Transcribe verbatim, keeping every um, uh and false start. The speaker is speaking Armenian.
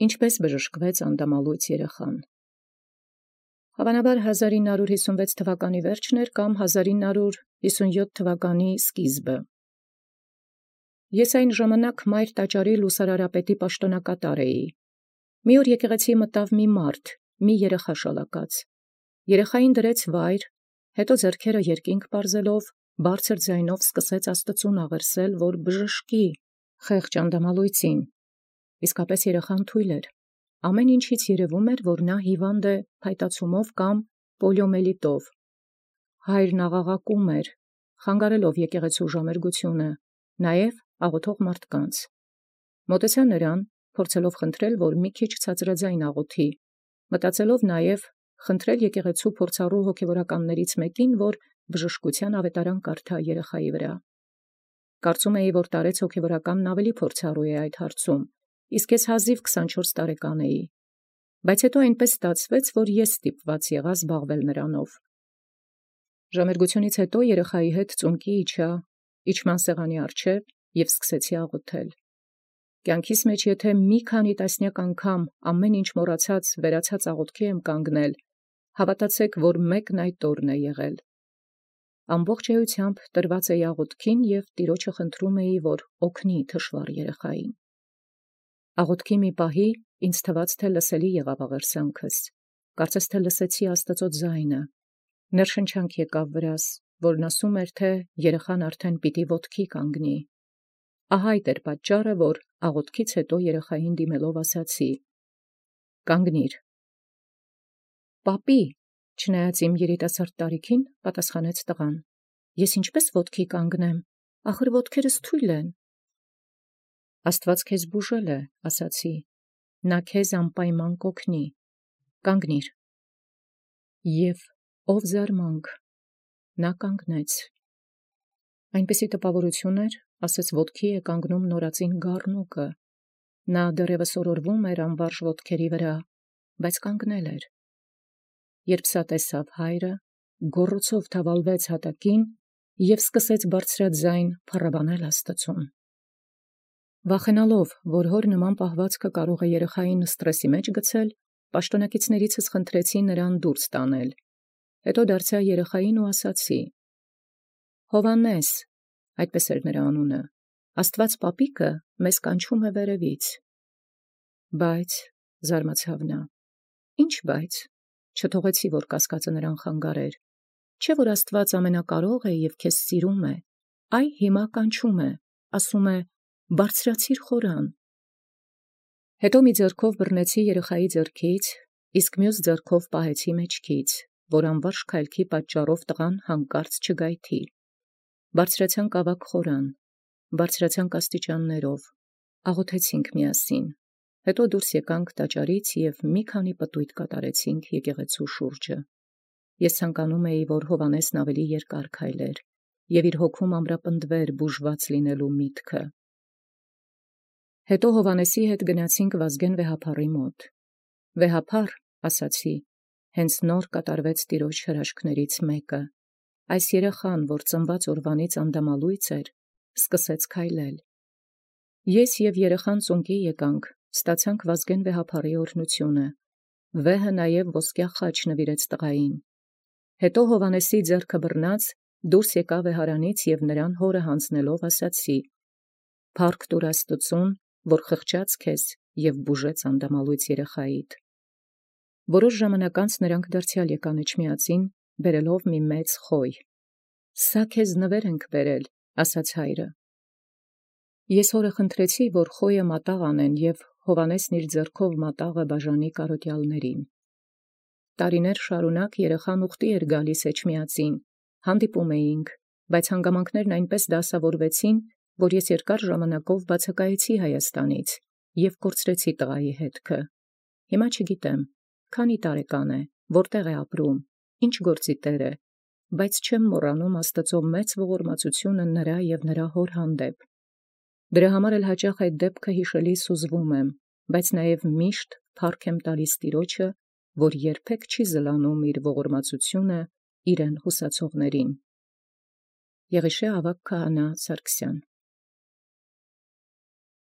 Ինչպես բժշկվեց անդամալույծ երեխան։ Հավանաբար հազար ինը հարյուր հիսունվեց թվականի վերջն էր կամ հազար ինը հարյուր հիսունյոթ թվականի սկիզբը։ Ես այն ժամանակ մայր տաճարի լուսարարապետի պաշտոնակատար էի։ Մի օր եկեղեցի մտավ մի մարդ, մի երեխա շալակած։ Երեխային դրեց վայր, հետո ձեռքերը երկինք պարզելով, բարձր ձայնով սկսեց Աստծուն աղերսել, որ բժշկի խեղճ անդամալույծին։ Իսկապես երեխան թույլ էր։ Ամեն ինչից երևում էր, որ նա հիվանդ է փայտացումով կամ պոլիոմելիտով։ Հայրն աղաղակում էր, խանգարելով եկեղեցու ժամերգությունը, նաև աղոթող մարդկանց։ Մոտեցա նրան, փորձելով խնդրել, որ մի քիչ ցածրաձայն աղոթի, մտածելով նաև խնդրել եկեղեցու փորձառու հոգևորականներից մեկին, որ բժշկության ավետարան կարդա երեխայի վրա։ Կարծում էի, որ տարեց հոգևորականն ավելի փորձառու է այդ հարցում, իսկ ես հազիվ քսանչորս տարեկան էի, բայց հետո այնպես ստացվեց, որ ես ստիպված եղա զբաղվել նրանով։ Ժամերգությունից հետո երեխայի հետ ծունկի իջա իջման սեղանի առջև և սկսեցի աղոթել։ Կյանքիս մեջ եթե մի քանի տասնյակ անգամ ամեն ինչ մոռացած վերացած աղոթքի եմ կանգնել, հավատացեք, որ մեկն այդ օրն է եղել։ Ամբողջ էությամբ տրված էի աղոթքին և Տիրոջը խնդրում էի, որ օգնի թշվառ երեխային։ Աղոթքի մի պահի ինձ թվաց, թե լսելի եղավ աղերսանքս, կարծես թե լսեցի Աստծո ձայնը, ներշնչանք եկավ վրաս, որն ասում էր, թե երեխան արդեն պիտի ոտքի կանգնի։ Ահա այդ էր պատճառը, որ աղոթքից հետո երեխային դիմելով ասացի. «Կանգնիր»։ «Պապի», չնայած իմ երիտասարդ տարիքին, պատասխանեց տղան, «ես ինչպես ոտքի կանգնեմ, ախր ոտքերս թույլ են»։ «Աստված քեզ բուժել է», ասացի, «նա քեզ անպայման կօգնի, կանգնիր»։ Եվ ով զարմանք, նա կանգնեց։ Այնպիսի տպավորություն էր, ասես ոտքի է կանգնում նորածին գառնուկը։ Նա դեռևս օրորվում էր անվարժ ոտքերի վրա, բայց կանգնել էր։ Երբ սա տեսավ հայրը, գոռոցով թավալվեց հատակին և սկսեց բարձրաձայն փառաբանել Աստծուն։ Վախենալով, որ հոր նման պահվածքը կարող է երեխային սթրեսի մեջ գցել, պաշտոնակիցներիցս խնդրեցի նրան դուրս տանել։ Հետո դարձա երեխային ու ասացի. «Հովհաննես», այդպես էր նրա անունը, «Աստված պապիկը մեզ կանչում է վերևից»։ Բայց, զարմացավ նա, «Ինչ բայց»։ Չթողեցի, որ կասկածը նրան խանգարեր։ Չէ՞ որ Աստված ամենակարող է և քեզ սիրում է, այ հիմա կանչում է, ասում է. «Բարձրացիր խորան»։ Հետո մի ձեռքով բռնեցի երեխայի ձեռքից, իսկ մյուս ձեռքով պահեցի մեջքից, որ անվարժ քայլքի պատճառով տղան հանկարծ չգայթի։ Բարձրացանք ավագ խորան, բարձրացանք աստիճաններով, աղոթեցինք միասին, հետո դուրս եկանք տաճարից և մի քանի պտույտ կատարեցինք եկեղեցու շուրջը։ Ես ցանկանում էի, որ Հովհաննեսն ավելի երկար քայլեր և իր հոգում ամրապնդվեր բուժված լինելու միտքը։ Հետո Հովհաննեսի հետ գնացինք Վազգեն վեհափառի մոտ։ «Վեհափառ», ասացի, հենց նոր կատարվեց Տիրոջ հրաշքներից մեկը։ Այս երեխան, որ ծնված օրվանից անդամալույծ էր, սկսեց քայլել։ Ես և երեխան ծունկի եկանք, ստացանք Վազգեն վեհափառի օրհնությունը։ Վեհը նաև ոսկյա խաչ նվիրեց տղային։ Հետո Հովհաննեսի ձեռքը բռնած դուրս եկա վեհարանից և նրան հորը հանձնելով ասացի. «Փառք տուր Աստծուն, որ խղճաց քեզ և բուժեց անդամալույծ երեխայիդ»։ Որոշ ժամանակ անց նրանք դարձյալ եկան Էջմիածին, բերելով մի մեծ խոյ։ «Սա քեզ նվեր ենք բերել», ասաց հայրը։ Ես հորը խնդրեցի, որ խոյը մատաղ անեն և Հովհաննեսն իր ձեռքով մատաղը բաժանի կարոտյալներին։ Տարիներ շարունակ երեխան ուխտի էր գալիս Էջմիածին, հանդիպում էինք, բայց հանգամանքներն այնպես դասավորվեցին, որ ես երկար ժամանակով բացակայեցի Հայաստանից և կորցրեցի տղայի հետքը։ Հիմա չգիտեմ, քանի տարեկան է, որտեղ է ապրում, ինչ գործի տեր է, բայց չեմ մոռանում Աստծո մեծ ողորմածությունը նրա և նրա հոր հանդեպ։ Դրա համար էլ հաճախ այդ դեպքը հիշելիս հուզվում եմ, բայց նաև միշտ փառք եմ տալիս Տիրոջը, որ երբեք չի զլանում իր ողորմածությունը իրեն հուսացողներին։ Եղիշե ավագ քահանա Սարգսյան։